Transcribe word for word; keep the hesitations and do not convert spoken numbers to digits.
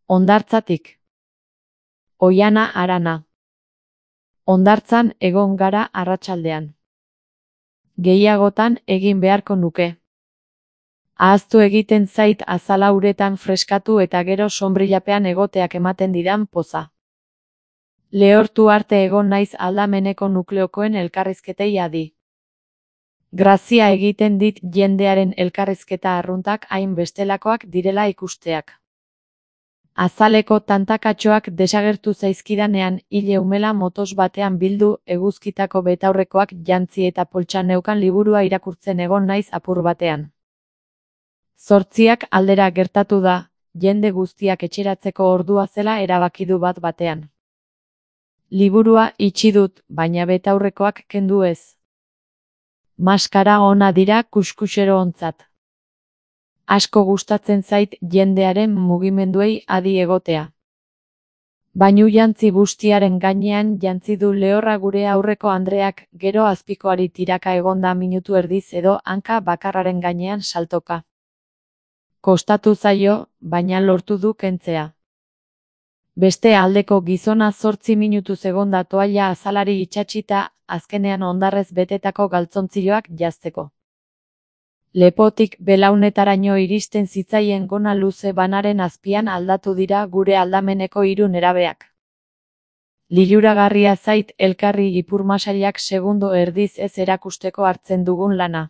Hondartzatik. Oihana harana. Hondartzan egon gara arratsaldean. Gehiagotan egin beharko nuke. Ahaztu egiten zait azala uretan freskatu eta gero sonbrillapean egoteak ematen didan poza. Lehortu arte egon naiz aldameneko nukleokoen elkarrizketei adi. Grazia egiten dit jendearen elkarrizketa arruntak hain bestelakoak direla ikusteak. Azaleko tantakatxoak desagertu zaizkidanean hile umela motos batean bildu eguzkitako betaurrekoak jantzi eta poltsa neukan liburua irakurtzen egon naiz apur batean. Zortziak aldera gertatu da, jende guztiak etxeratzeko ordua zela erabaki du bat batean. Liburua itxi dut, baina betaurrekoak kendu ez. Maskara ona dira kuskusero ontzat. Asko gustatzen zait jendearen mugimenduei adi egotea. Bainu jantzi bustiaren gainean jantzi du lehorra gure aurreko andreak, gero azpikoari tiraka egonda minutu erdiz edo hanka bakarraren gainean saltoka. Kostatu zaio, baina lortu du kentzea. Beste aldeko gizona zortzi minutuz egonda toalla azalari itsatsita, azkenean hondarrez betetako galtzontzilloak janzteko. Lepotik belaunetaraino iristen zitzaien gona luze banaren azpian aldatu dira gure aldameneko hiru nerabeak. Liluragarria zait elkarri ipurmasailak segundo erdiz ez erakusteko hartzen dugun lana.